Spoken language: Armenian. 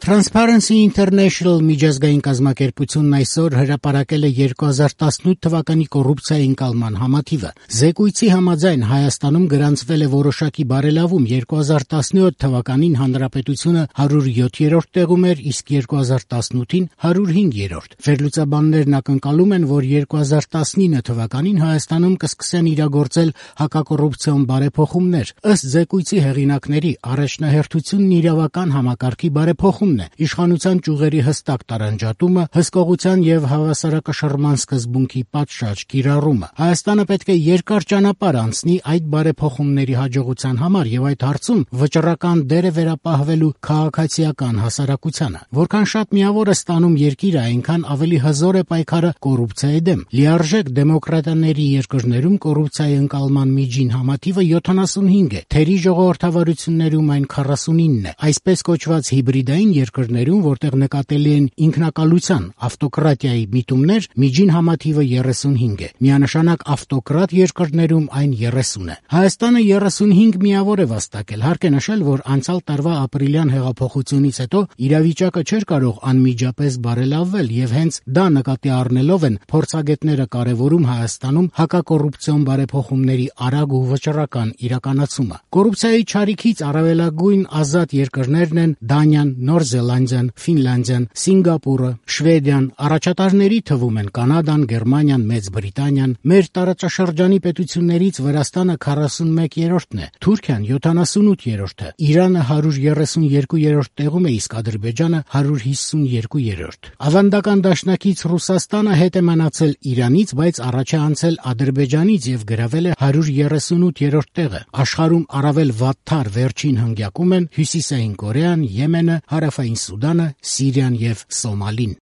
Transparency International միջազգային կազմակերպությունն այսօր հրապարակել է 2018 թվականի կոռուպցիայի ընկալման համաթիվը։ Զեկույցի համաձայն Հայաստանում գրանցվել է որոշակի բարելավում, 2017 թվականին հանրապետությունը 107-րդ տեղում էր, իսկ 2018-ին 105-րդ։ Վերլուծաբաններն ակնկալում են, որ 2019 թվականին Հայաստանում կսկսեն իրագործել հակակոռուպցիոն բարեփոխումներ։ Ըստ զեկույցի հեղինակների, առաջնահերթությունն իրավական համակարգի բարեփոխումն է, իշխանության ճյուղերի հստակ տարանջատումը, հսկողության եւ հավասարակշռման սկզբունքի պատշաճ կիրառումը։ Հայաստանը պետք է երկար ճանապարհ անցնի այդ բարեփոխումների հաջողության համար եւ այդ հարցում վճռական դեր է վերապահվելու քաղաքացիական հասարակությանը։ Որքան շատ միավոր է ստանում երկիրը, այնքան ավելի հզոր է պայքարը կոռուպցիայի դեմ։ Լիարժեք դեմոկրատիաների երկրներում կոռուպցիայի ընկալման միջին համաթիվը 75 է, թերի ժողովրդավարություններում այն 49 է։ Այսպես կոչված հիբրիդային երկրներում, որտեղ նկատելի են ինքնակալության, ավտոկրատիայի միտումներ, միջին համաթիվը 35 է։ Միանշանակ ավտոկրատ երկրներում այն 30 է։ Հայաստանը 35 միավոր է վաստակել։ Հարկ է նշել, որ անցյալ տարվա ապրիլյան հեղափոխությունից հետո իրավիճակը չէր կարող անմիջապես բարելավվել եւ հենց դա նկատի առնելով են փորձագետները կարևորում Հայաստանում հակակոռուպցիոն բարեփոխումների արագ ու վճռական իրականացումը։ Կոռուպցիայի չարիքից առավելագույն ազատ երկրներն են Դանիան, Նոր Զելանդիան, Ֆինլանդիան, Սինգապուրը, Շվեդիան, առաջատարների թվում են Կանադան, Գերմանիան, Մեծ Բրիտանիան, մեր տարածաշրջանի պետություններից Վրաստանը 41-րդն է, Թուրքիան 78-րդը, Իրանը 132-րդ տեղում է, իսկ Ադրբեջանը 152-րդ։ Ավանդական դաշնակից Ռուսաստանը հետ է մնացել Իրանից, բայց առաջ է անցել Ադրբեջանից եւ գրավել է 138-րդ տեղը։ Աշխարհում առավել վատթար վերջին հնգյակում են Հյուսիսային Կորեան, Եմենը, Հարավային Սուդանը, Սիրիան եւ Սոմալին։